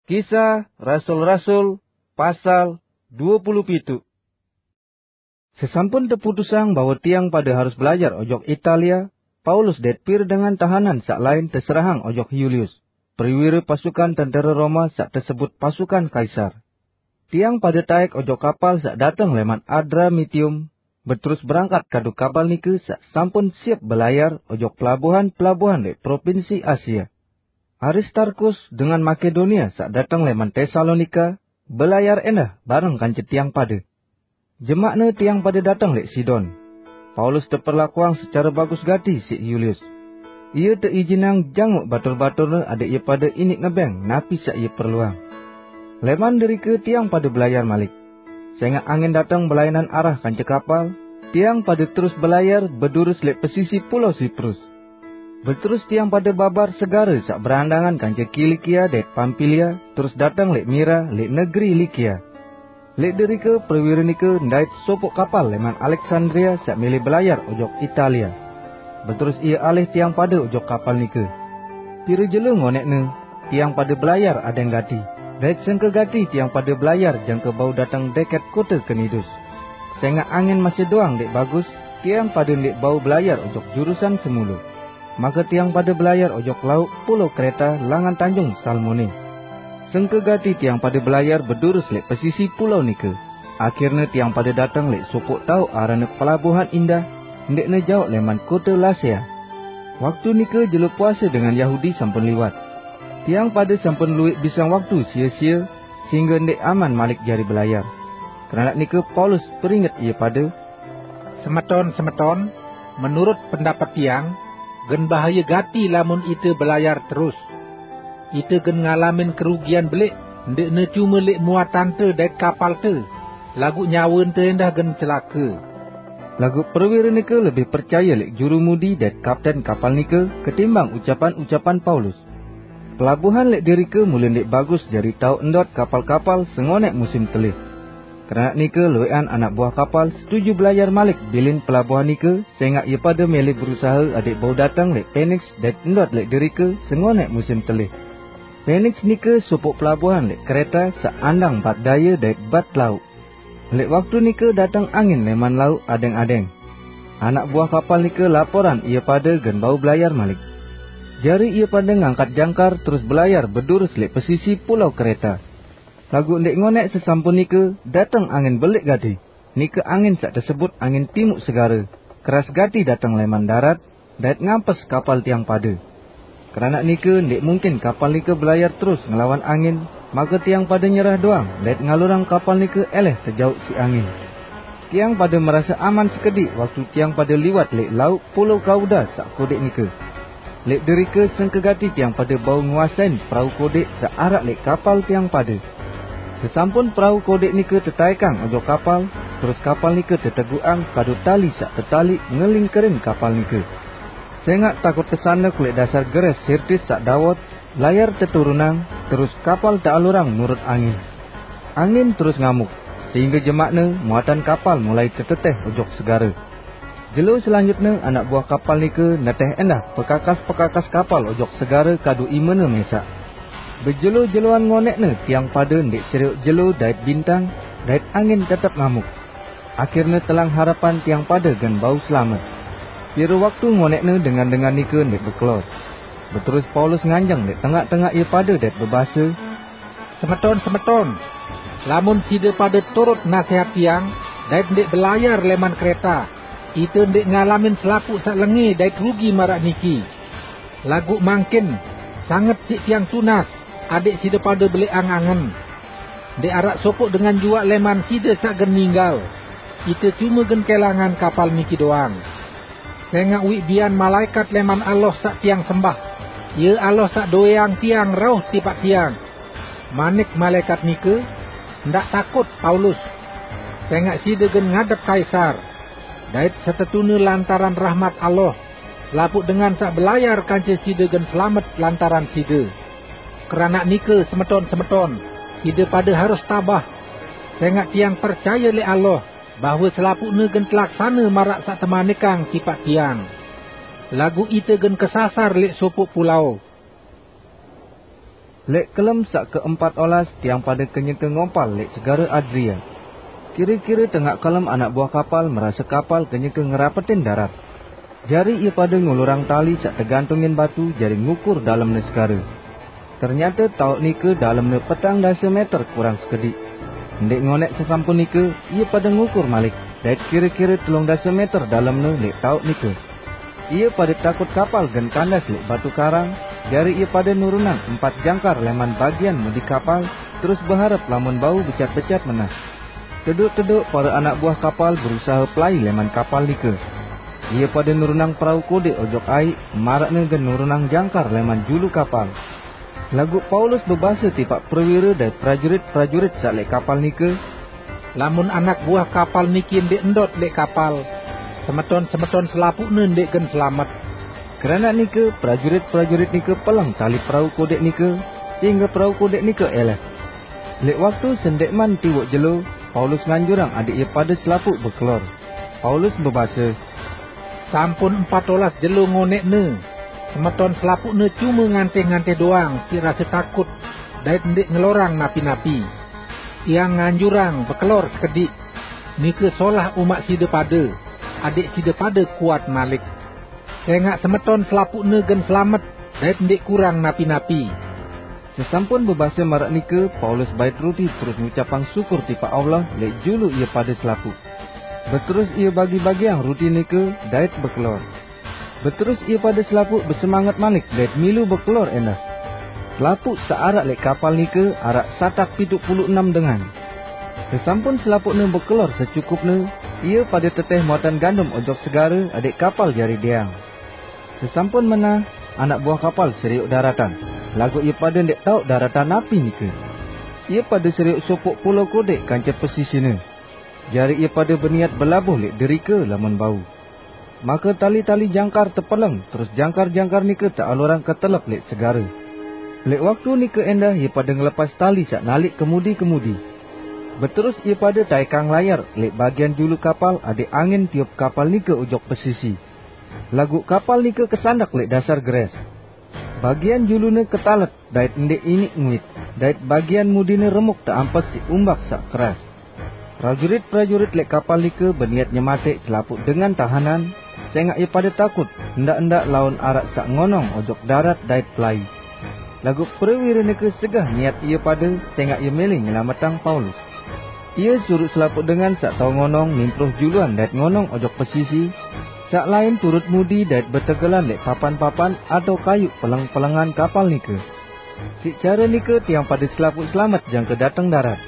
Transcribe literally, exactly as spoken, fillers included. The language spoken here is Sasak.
Kisah Rasul-Rasul, pasal dua puluh pitu. Sesampun teputusang bahwa tiang pada harus belajar ojok Italia, Paulus dait pir dengan tahanan sak lain teserahang ojok Yulius, perwira pasukan tentara Roma sak tesebut pasukan Kaisar. Tiang pada taek ojok kapal sak dateng leman Adramitium, beterus berangkat kadu kapal nike sak sampun siap belayar ojok pelabuhan-pelabuhan leq propinsi Asia. Aristarkus dengan Makedonia sak dateng leman Tesalonika belayar endah bareng kance tiang pada. Jemakne tiang pada dateng leq Sidon. Paulus teperlakuang secare bagus gati siq Yulius. Ie teijinang janguk batur-baturne adeq ie pada iniq ngebeng napi saq ie perluang. Leman derike tiang pada belayar malik. Sengaq angin dateng belaenan arah kance kapal, tiang pada terus belayar bedurus leq pesisi pulo Siprus. Beterus tiang pada babar segare saq berandangan kance Kilikia dait Pampilia, terus dateng leq Mira, leq negeri Likia. Leq derike perwira nike ndait sopoq kapal leman Aleksandria saq mele belayar ojok Italia. Beterus ie alih tiang pada ojok kapal nike. Pire jelo ngoneqne, tiang pada belayar adeng gati, dait sengke gati tiang pada belayar jangke bau dateng deket kote Knidus. Sengaq angin masih doang ndeq bagus, tiang pada ndeq bau belayar ojok jurusan semulo. Make tiang pada belayar ojok lauq pulo Kreta langan tanjung Salmone. Sengke gati tiang pada belayar bedurus leq pesisi pulo nike. Akirne tiang pada dateng leq sopoq taoq aranne Pelabuhan Indah, ndeqne jaoq leman kote Lasea. Waktu nike jelo puase dengan Yahudi sampun liwat. Tiang pada sampun lueq bisang waktu sie-sie, sehingge ndeq aman malik jari belayar. Keranaq nike Paulus peringet ie pade, "Semeton-semeton, menurut pendapet tiang, gen bahaye gati lamun ite belayar terus. Ite gen ngalamin kerugian beleq, ndeqne cume leq muatante dait kapalte, laguq nyawente endah gen celake." Laguq perwira nike lebih percaye leq jurumudi dait kapten kapal nike ketimbang ucapan-ucapan Paulus. Pelabuhan leq derike mule ndeq bagus jari taoq ndot kapal-kapal sengoneq musim telih. Keranaq nike lueqan anak buah kapal setuju belayar malik bilin pelabuhan nike, sengaq ie pade mele berusahe adeq bau dateng leq Peniks dait ndot leq derike sengoneq musim telih. Peniks nike sopoq pelabuhan leq Kreta saq andang bat daye dait bat lauq. Leq waktu nike dateng angin leman lauq adeng-adeng. Anak buah kapal nike laporan ie pade gen bau belayar malik. Jari ie pade ngangkat jangkar terus belayar bedurus leq pesisi pulo Kreta. Laguq ndeq ngoneq sesampun nike dateng angin beleq gati. Nike angin saq tesebut angin timuq segare, keras gati dateng leman darat, dait ngampes kapal tiang pade. Keranaq nike ndeq mungkin kapal nike belayar terus ngelawan angin, make tiang pade nyerah doang dait ngalurang kapal nike eleh tejauq siq angin. Tiang pade merase aman sekediq waktu tiang pade liwat leq lauq pulo Kauda saq kodeq nike. Leq derike sengke gati tiang pade bau nguasein perau kodeq saq araq leq kapal tiang pade. Sesampun perau kodeq nike tetaekang ojok kapal, terus kapal nike teteguqang kadu tali saq tetaliq ngelingkerin kapal nike. Sengaq takut tesandek leq dasar geres Sirtis saq dawot, layar teturunang, terus kapal tealurang nurut angin. Angin terus ngamuk, sehingge jemakne muatan kapal mulai teteteh ojok segare. Jelo selanjutne anak buah kapal nike neteh endah pekakas-pekakas kapal ojok segare kadu imene mesaq. Bejelo-jeloan ngoneqne tiang pade ndeq serioq jelo dait bintang, dait angin tetep ngamuk. Akirne telang harepan tiang pade gen bau selamet. Pire waktu ngoneqne dengan-dengan nike ndeq bekelor. Beterus Paulus nganjeng leq tengaq-tengaq ie pade dait bebase, "Semeton-semeton, lamun side pade turut nasehat tiang dait ndeq belayar leman Kreta, ite ndeq ngalamin selapuq saq lenge dait rugi maraq niki. Laguq mangkin, sanget siq tiang tunas, adeq side pade beleq angen-angen. Ndeq araq sopoq dengan juaq leman side saq gen ninggal. Ite cume gen kelangan kapal niki doang. Sengaq uiq bian malaekat leman Allah saq tiang sembah, Ie Allah saq doweang tiang rauh tipaq tiang." Manik malaekat nike, "Ndaq takut, Paulus, sengaq side gen ngadep Kaisar, dait setetune lantaran rahmat Allah, selapuq dengan saq belayar kance side gen selamet lantaran side. Keranaq nike, semeton-semeton, side pade harus tabah, sengaq tiang percaye leq Allah, bahwe selapuqne gen telaksane maraq saq temanikang tipaq tiang. Laguq ite gen kesasar leq sopoq pulao." Lek kelem sak keempat olas tiang pada kenyeke ngompal lek segara Adria. Kira-kira tengah kelem anak buah kapal merasa kapal kenyeke ngerapetin darat. Jari ia pada ngulurang tali sak tegantungin batu jari ngukur dalemne segara. Ternyata tauk nika dalemne petang dasa meter kurang sekedik. Ndik ngonek sesampun nika, ia pada ngukur malik, dait kira-kira telung dasa meter dalemne lek tauk nika. Ia pada takut kapal gen kandas lek batu karang, jari ia pada nurunang empat jangkar leman bagian mudi kapal, terus beharap lamun bau becat-becat menah. Teduk-teduk para anak buah kapal berusaha pelai leman kapal nika. Ia pada nurunang perau kodik ojok aik, marakne gen nurunang jangkar leman julu kapal. Laguq Paulus bebase tipaq perwira dait prajurit-prajurit saq leq kapal nike, "Lamun anak buah kapal niki ndeq ndot leq kapal, semeton-semeton selapuqne ndeq gen selamet." Keranaq nike, prajurit-prajurit nike peleng tali perau kodeq nike, sehingge perau kodeq nike eleh. Leq waktu sendeqman tiwoq jelo, Paulus nganjurang adeq ie pade selapuq bekelor. Paulus bebase, "Sampun empat olas jelo ngoneqne, semeton selapuqne cume ngantih-ngantih doang siq rase takut dait ndeq ngelorang napi-napi. Tiang nganjurang bekelor sekediq. Nike solah umaq side pade, adeq side pade kuat malik. Sengaq semeton selapuqne gen selamet dait ndeq kurang napi-napi." Sesampun bebase maraq nike, Paulus bait ruti terus ngucapang syukur tipaq Allah leq julu ie pade selapuq. Beterus ie bagi-bagiang ruti nike dait bekelor. Beterus ie pade selapuq besemanget malik dait milu bekelor endah. Selapuq saq araq leq kapal nike araq satak pituq pulu enem dengan. Sesampun selapuqne bekelor secukupne, ie pade teteh muatan gandum ojok segare adeq kapal jari deang. Sesampun menah, anak buah kapal serioq daratan, laguq ie pade ndeq taoq daratan napi nike. Ie pade serioq sopoq pula kodeq kance pesisine. Jari ie pade beniat belabuh leq derike lamun bau. Make tali-tali jangkar tepeleng, terus jangkar-jangkar nike tealurang ketelep leq segare. Leq waktu nike endah ie pade ngelepas tali saq naliq kemudi-kemudi. Beterus ie pade taekang layar leq bagian julu kapal adeq angin tiup kapal nike ojok pesisi. Laguq kapal nike kesandek leq dasar geres. Bagian julune ketalet dait ndeq iniq nguit, dait bagian mudine remuk teampes siq umbak saq keras. Prajurit-prajurit leq kapal nike beniat nyemateq selapuq dengan tahanan, sengaq ie pade takut, ndaq-ndaq laun araq saq ngonong ojok darat dait pelai. Laguq prewire nike segah niat ie pade, sengaq ie mele nyelametang Paulus. Ie suruq selapuq dengan saq tao ngonong nimpruh juluan dait ngonong ojok pesisi, saq lain turut mudi dait betegelan leq papan-papan atao kayuq peleng-pelengan kapal nike. Siq care nike tiang pade selapuq selamet jangke dateng darat.